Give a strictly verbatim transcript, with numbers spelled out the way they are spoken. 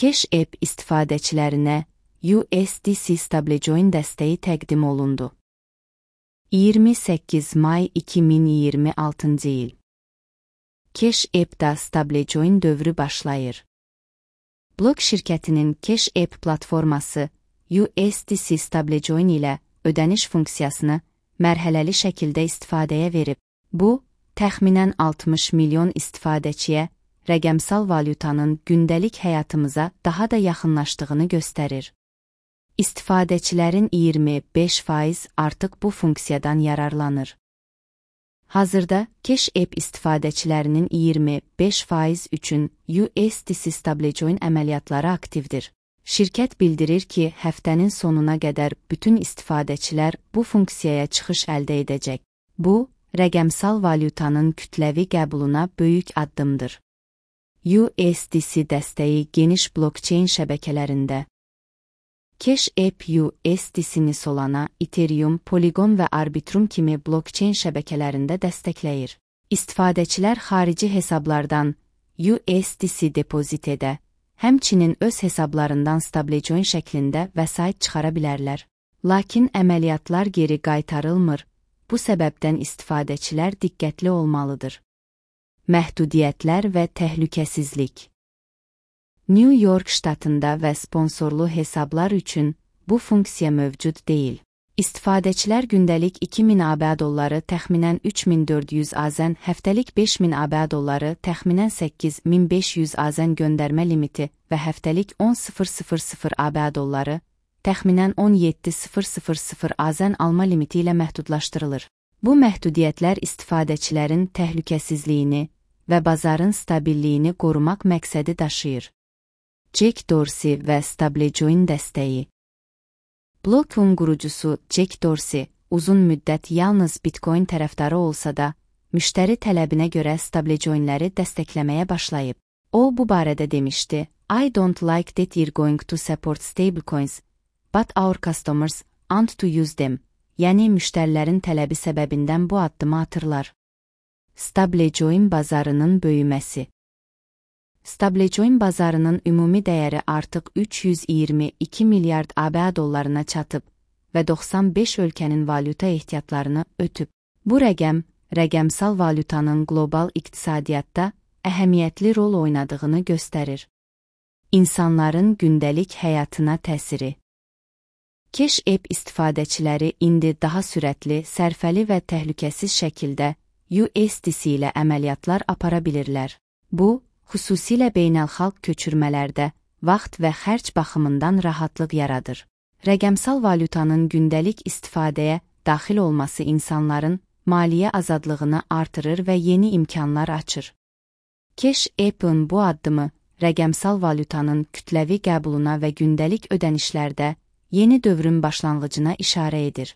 Cash App istifadəçilərinə U S D C Stablecoin dəstəyi təqdim olundu. iyirmi səkkiz may iki min iyirmi altıncı il. Cash App'da Stablecoin dövrü başlayır. Blok şirkətinin Cash App platforması U S D C Stablecoin ilə ödəniş funksiyasını mərhələli şəkildə istifadəyə verib. Bu, təxminən altmış milyon istifadəçiyə rəqəmsal valyutanın gündəlik həyatımıza daha da yaxınlaşdığını göstərir. İstifadəçilərin iyirmi beş faiz artıq bu funksiyadan yararlanır. Hazırda Cash App istifadəçilərinin iyirmi beş faiz üçün U S D C Stablecoin əməliyyatları aktivdir. Şirkət bildirir ki, həftənin sonuna qədər bütün istifadəçilər bu funksiyaya çıxış əldə edəcək. Bu, rəqəmsal valyutanın kütləvi qəbuluna böyük addımdır. U S D C dəstəyi geniş blockchain şəbəkələrində. Cash App U S D C-ni Solana, Ethereum, Polygon və Arbitrum kimi blockchain şəbəkələrində dəstəkləyir. İstifadəçilər xarici hesablardan U S D C depozit edə, həmçinin öz hesablarından Stablecoin şəklində vəsait çıxara bilərlər. Lakin əməliyyatlar geri qaytarılmır, bu səbəbdən istifadəçilər diqqətli olmalıdır. Məhdudiyyətlər və təhlükəsizlik. New York ştatında və sponsorlu hesablar üçün bu funksiya mövcud deyil. İstifadəçilər gündəlik iki min A B dolları təxminən üç min dörd yüz azən, həftəlik beş min A B dolları təxminən səkkiz min beş yüz azən göndərmə limiti və həftəlik on min A B dolları təxminən on yeddi min azən alma limiti ilə məhdudlaşdırılır. Bu məhdudiyyətlər istifadəçilərin təhlükəsizliyini və bazarın stabilliyini qorumaq məqsədi daşıyır. Jack Dorsey və Stablecoin dəstəyi. Block'un qurucusu Jack Dorsey uzun müddət yalnız Bitcoin tərəfdarı olsa da, müştəri tələbinə görə Stablecoinləri dəstəkləməyə başlayıb. O, bu barədə demişdi: I don't like that you're going to support stablecoins, but our customers want to use them. Yəni, müştərilərin tələbi səbəbindən bu addımı atırlar. Stablecoin bazarının böyüməsi. Stablecoin bazarının ümumi dəyəri artıq üç yüz iyirmi iki milyard A B dollarına çatıb və doxsan beş ölkənin valyuta ehtiyatlarını ötüb. Bu rəqəm, rəqəmsal valyutanın qlobal iqtisadiyyatda əhəmiyyətli rol oynadığını göstərir. İnsanların gündəlik həyatına təsiri. Cash App istifadəçiləri indi daha sürətli, sərfəli və təhlükəsiz şəkildə U S D C ilə əməliyyatlar apara bilirlər. Bu, xüsusilə beynəlxalq köçürmələrdə vaxt və xərc baxımından rahatlıq yaradır. Rəqəmsal valyutanın gündəlik istifadəyə daxil olması insanların maliyyə azadlığını artırır və yeni imkanlar açır. Cash App'ın bu addımı rəqəmsal valyutanın kütləvi qəbuluna və gündəlik ödənişlərdə yeni dövrün başlanğıcına işarə edir.